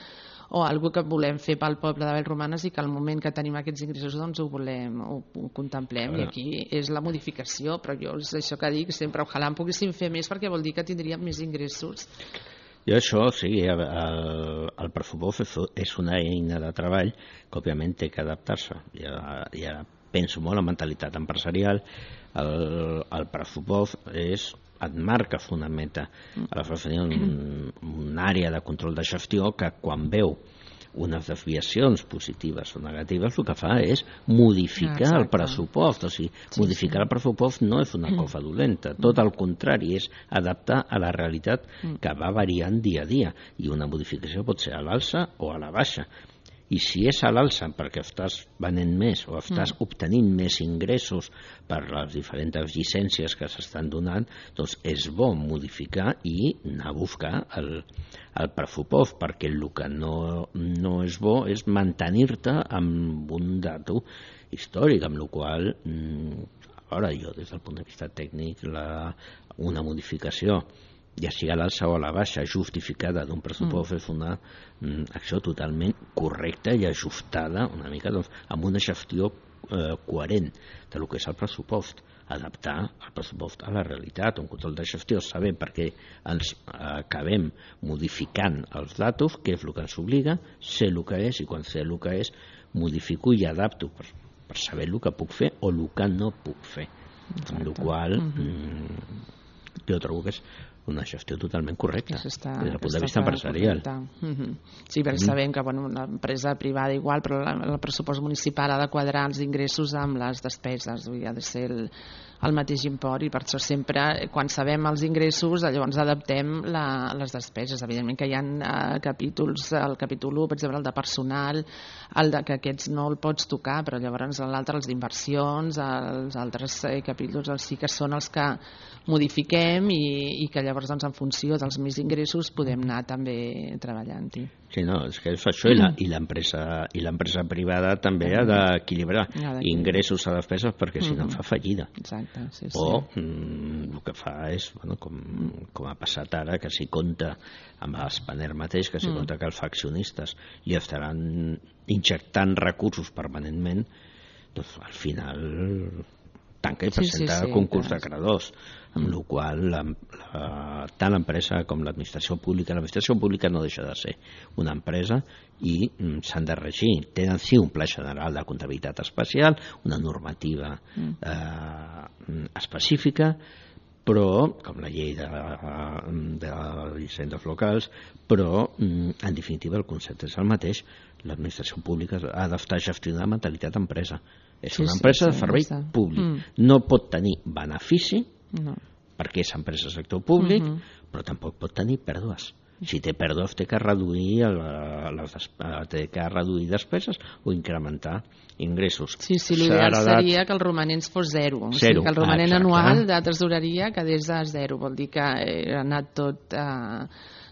o algo que volem fer pel poble de Vallromanes i que al moment que tenim aquests ingressos doncs, ho volem, ho, ho contemplem, i aquí és la modificació, però jo és això que dic sempre, ojalà en poguéssim fer més perquè vol dir que tindríem més ingressos. I això, sí, el, el pressupost és una eina de treball que, òbviament, té que adaptar-se. Ja, ja penso molt en mentalitat empresarial. El, el pressupost és, et marca, fonamenta. Aleshores, tenia un, una àrea de control de gestió que, quan veu unes desviacions positives o negatives, el que fa és modificar ah, el pressupost. O sigui, sí, modificar sí. el pressupost no és una cosa dolenta, tot el contrari, és adaptar a la realitat que va variant dia a dia, i una modificació pot ser a l'alça o a la baixa. I si és a l'alça perquè estàs venent més o estàs mm. obtenint més ingressos per les diferents llicències que s'estan donant, doncs és bo modificar i anar a buscar el, el pressupost, perquè el que no, no és bo és mantenir-te amb un dato històric, amb el qual, ara jo des del punt de vista tècnic, la, una modificació ja sigui a l'alça o a la baixa, justificada d'un pressupost, mm. és una mm, acció totalment correcta i ajustada una mica doncs, amb una gestió eh, coherent de lo que és el pressupost, adaptar el pressupost a la realitat, un control de gestió, saber per què ens acabem modificant els datos, què és el que ens obliga, sé el que és, i quan sé el que és, modifico i adapto per, per saber el que puc fer o el que no puc fer. Exacte. Amb la qual mm, jo trobo que és una gestió totalment correcta està, des del punt de vista empresarial. Mm-hmm. Sí, perquè mm. sabem que bueno, l'empresa privada igual, però la, el pressupost municipal ha de quadrar els ingressos amb les despeses, vull dir, ha de ser el, el mateix import, i per això sempre, quan sabem els ingressos, llavors adaptem la, les despeses. Evidentment que hi ha uh, capítols, el capítol u, per exemple, el de personal, el de que aquests no el pots tocar, però llavors l'altre, els d'inversions, els altres eh, capítols, els sí que són els que modifiquem i, i que llavors llavors doncs, en funció dels més ingressos podem anar també treballant-hi. Sí, no, és que és això, i l'empresa i l'empresa privada també ha d'equilibrar ingressos a despeses, perquè si no fa fallida. Exacte, sí, sí. O mm, el que fa és, bueno, com, com ha passat ara, que s'hi compta amb Spanair mateix, que s'hi compta que els accionistes hi estaran injectant recursos permanentment, doncs al final tanca i presenta sí, sí, sí, concurs clar. de credors, amb mm. la qual la, la, tant l'empresa com l'administració pública, l'administració pública no deixa de ser una empresa i mm, s'han de regir. Tenen sí un pla general de comptabilitat especial, una normativa mm. eh, específica, però, com la llei de, de hisendes locals, però, en definitiva, el concepte és el mateix. L'administració pública ha d'estar gestionant la mentalitat d'empresa. És una empresa sí, sí, de servei sí, públic. Mm. No pot tenir benefici, no. perquè és empresa del sector públic, mm-hmm. però tampoc pot tenir pèrdues. Si té pèrdues, té que reduir les, té que reduir despeses o incrementar ingressos. Sí, sí, l'ideal seria que el romanent fos zero. zero. O sigui, que el romanent ah, anual de tresoreria quedés a zero. Vol dir que ha anat tot a,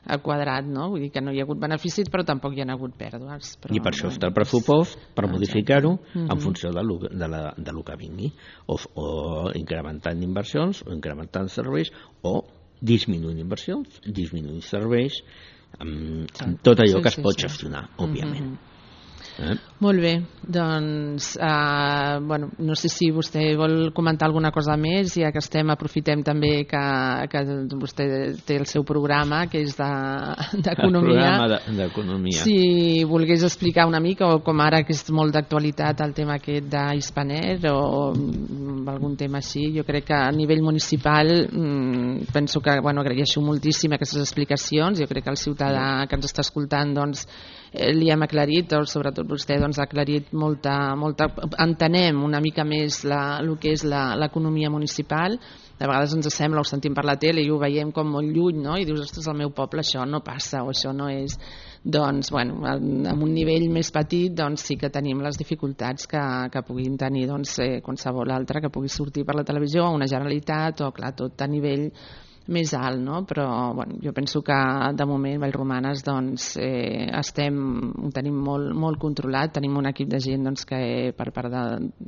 a quadrat, no? Vull dir que no hi ha hagut beneficis, però tampoc hi ha hagut pèrdues. Però, I per això està el pressupost, per modificar-ho mm-hmm. en funció de lo, de, la, de lo que vingui. O, o incrementant inversions, o incrementant serveis, o disminuint inversions, disminuint serveis, amb, amb tot allò sí, que es sí, pot sí. gestionar, òbviament. Mm-hmm. Eh? Molt bé, doncs uh, bueno, no sé si vostè vol comentar alguna cosa més, ja que estem, aprofitem també que, que vostè té el seu programa, que és d'economia. De, d'economia. Si volgués explicar una mica, o com ara que és molt d'actualitat el tema aquest d'Spanair o algun tema així, jo crec que a nivell municipal mm, penso que, bueno, agraeixo moltíssim aquestes explicacions. Jo crec que el ciutadà que ens està escoltant doncs eh, li hem aclarit, o sobretot vostè doncs, ha aclarit molta, molta... entenem una mica més la, el que és l'economia municipal. De vegades ens sembla, ho sentim per la tele i ho veiem com molt lluny, no? I dius, ostres, al meu poble això no passa o això no és... Doncs, bueno, en un nivell més petit doncs, sí que tenim les dificultats que, que puguin tenir doncs, eh, qualsevol altre que pugui sortir per la televisió, o una Generalitat, o clar, tot a nivell més alt, no? Però bueno, jo penso que de moment Vallromanes doncs, eh, estem, ho tenim molt, molt controlat, tenim un equip de gent doncs, que per part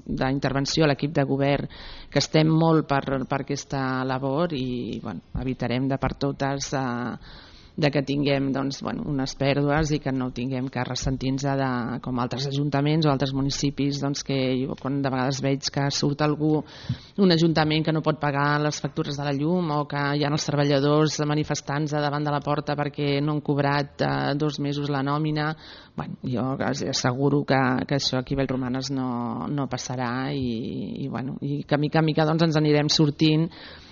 d'intervenció, l'equip de govern, que estem molt per, per aquesta labor i bueno, evitarem de per totes eh, de que tinguem doncs, bueno, unes pèrdues i que no tinguem que ressentir-nos de, com altres ajuntaments o altres municipis doncs, que jo quan de vegades veig que surt algú, un ajuntament que no pot pagar les factures de la llum o que hi ha els treballadors manifestant-se davant de la porta perquè no han cobrat eh, dos mesos la nòmina. Bueno, jo asseguro que, que això aquí a Vallromanes no, no passarà i, i, bueno, i que mica a mica doncs, ens anirem sortint,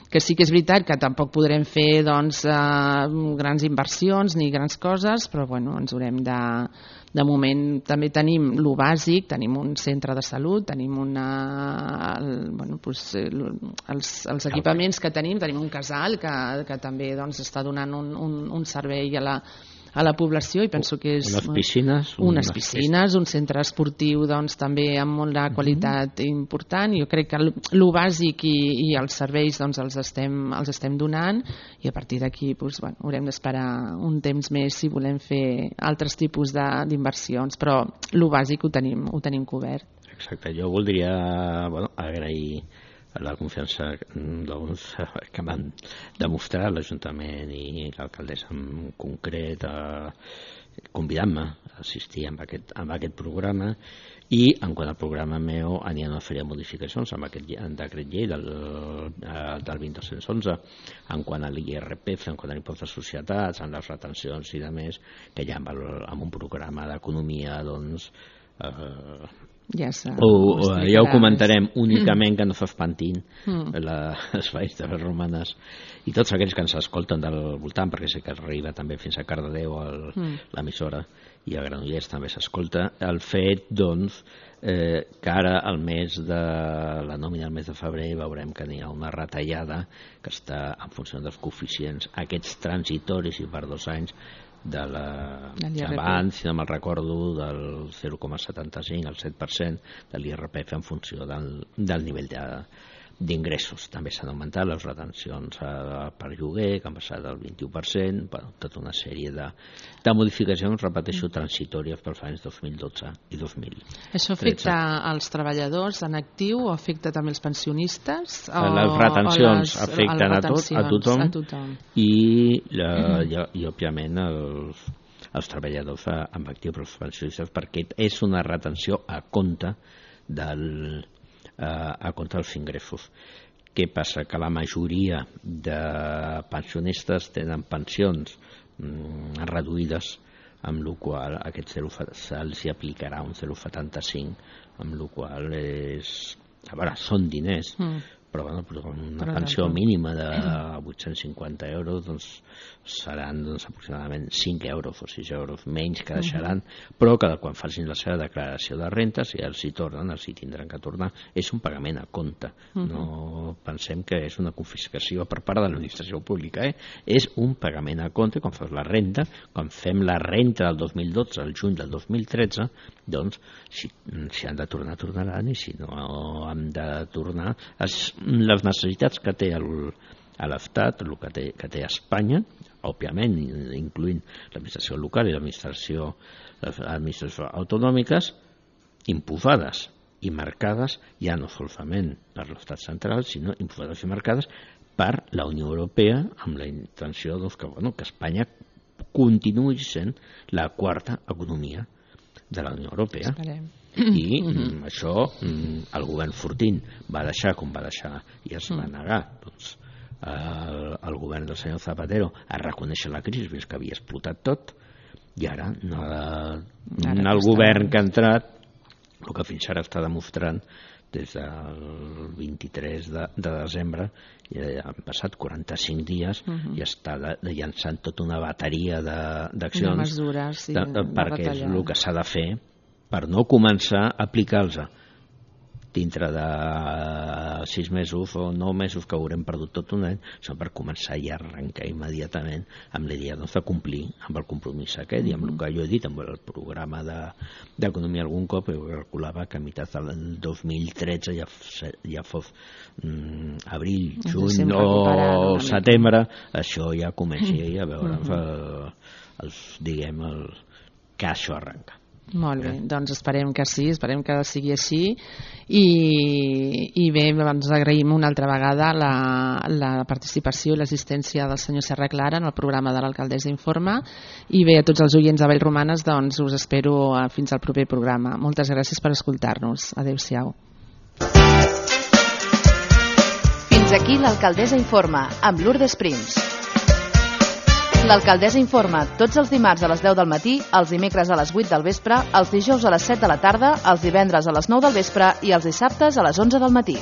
que sí que és veritat que tampoc podrem fer doncs, eh, grans inversions ni grans coses, però bueno, ens haurem de... De moment també tenim lo bàsic, tenim un centre de salut, tenim una, el, bueno, pues, els, els equipaments que tenim, tenim un casal que, que també doncs, està donant un, un, un servei a la, a la població i penso que és... Unes piscines. Unes piscines, un centre esportiu doncs, també amb molt de qualitat mm-hmm. important. Jo crec que el bàsic i, i els serveis doncs, els, estem, els estem donant i a partir d'aquí doncs, bueno, haurem d'esperar un temps més si volem fer altres tipus d'inversions, però el bàsic ho tenim, ho tenim cobert. Exacte, jo voldria bueno, agrair la confiança doncs, que van demostrar l'Ajuntament i l'alcaldessa en concret a convidant-me a assistir a aquest, a aquest programa i en quant al programa meu aniran a fer modificacions amb aquest decret llei del, del vint dos cents i onze en quant a l'I R P F, en quant a l'impost de societats, en les retencions i de més, que ja amb, el, amb un programa d'economia doncs eh, ja, o, o, ja ho comentarem únicament mm. que no s'espantin mm. les valls de les Romanes i tots aquells que ens escolten del voltant, perquè sé que arriba també fins a Cardedeu mm. l'emissora i a Granollers també s'escolta el fet doncs eh, que ara al mes de la nòmina al mes de febrer veurem que n'hi ha una retallada que està en funció dels coeficients aquests transitoris i per dos anys de la, abans, si no me'l recordo, del zero coma setanta-cinc al set per cent de l'I R P F en funció del, del nivell de d'ingressos. També s'han augmentat les retencions eh, per lloguer, que han passat del vint-i-u per cent, bueno, tota una sèrie de, de modificacions, repeteixo, transitòries pels anys dos mil dotze i dos mil tretze. Això afecta als treballadors en actiu o afecta també els pensionistes? O, les retencions o les, afecten a, tot, a, tothom, a tothom i, la, mm. i, i òbviament els, els treballadors amb actiu, però els pensionistes, perquè és una retenció a compte del, a, a compte dels ingressos. Què passa? Que la majoria de pensionistes tenen pensions mm, reduïdes, amb la qual aquest zero se'ls aplicarà un zero coma setanta-cinc, amb la qual és... A veure, són diners, mm. però, bueno, però una però pensió tant. mínima de vuit-cents cinquanta euros doncs, seran doncs, aproximadament cinc euros o sis euros menys que deixaran, mm-hmm. però que quan facin la seva declaració de renta, si els hi tornen, els hi tindran que tornar. És un pagament a compte. Mm-hmm. No pensem que és una confiscació per part de l'administració pública. Eh? És un pagament a compte. Quan fas la renta, quan fem la renta del dos mil dotze al juny del dos mil tretze, doncs, si, si han de tornar, tornaran, i si no han de tornar... Es, les necessitats que té el, l'Estat, el que té, que té Espanya, òbviament, incloent l'administració local i l'administració, les administracions autonòmiques, imposades i marcades ja no solament per l'estat central, sinó imposades i marcades per la Unió Europea, amb la intenció doncs, que, bueno, que Espanya continuï sent la quarta economia de la Unió Europea. Esperem. I mm, això mm, el govern Fortín va deixar com va deixar i es va negar doncs, el, el govern del senyor Zapatero a reconèixer la crisi, fins que havia explotat tot, i ara, no, ara el govern que ha entrat, el que fins ara està demostrant des del vint-i-tres de, de desembre, ja han passat quaranta-cinc dies, uh -huh. i està de, de llançant tota una bateria d'accions, de mesures, sí, de, de, perquè és el que s'ha de fer per no començar a aplicar-los dintre de sis mesos o nou mesos que haurem perdut tot un any, sinó per començar ja a arrencar immediatament amb l'idea doncs, de complir amb el compromís aquest, mm-hmm. i amb el que jo he dit amb el programa d'economia algun cop, jo calculava que a meitat del dos mil tretze ja, ja fos mm, abril, juny o setembre, això ja comenci a veure mm-hmm. el, els, diguem, el, que això arrenca. Molt bé, doncs esperem que sí, esperem que sigui així, i, i bé, ens agraïm una altra vegada la, la participació i l'assistència del senyor Serra Clara en el programa de l'Alcaldessa Informa, i bé, a tots els oients de Vallromanes, doncs us espero fins al proper programa. Moltes gràcies per escoltar-nos. Adéu-siau. Fins aquí l'Alcaldessa Informa, amb Lourdes Prims. L'Alcaldessa Informa tots els dimarts a les deu del matí, els dimecres a les vuit del vespre, els dijous a les set de la tarda, els divendres a les nou del vespre i els dissabtes a les onze del matí.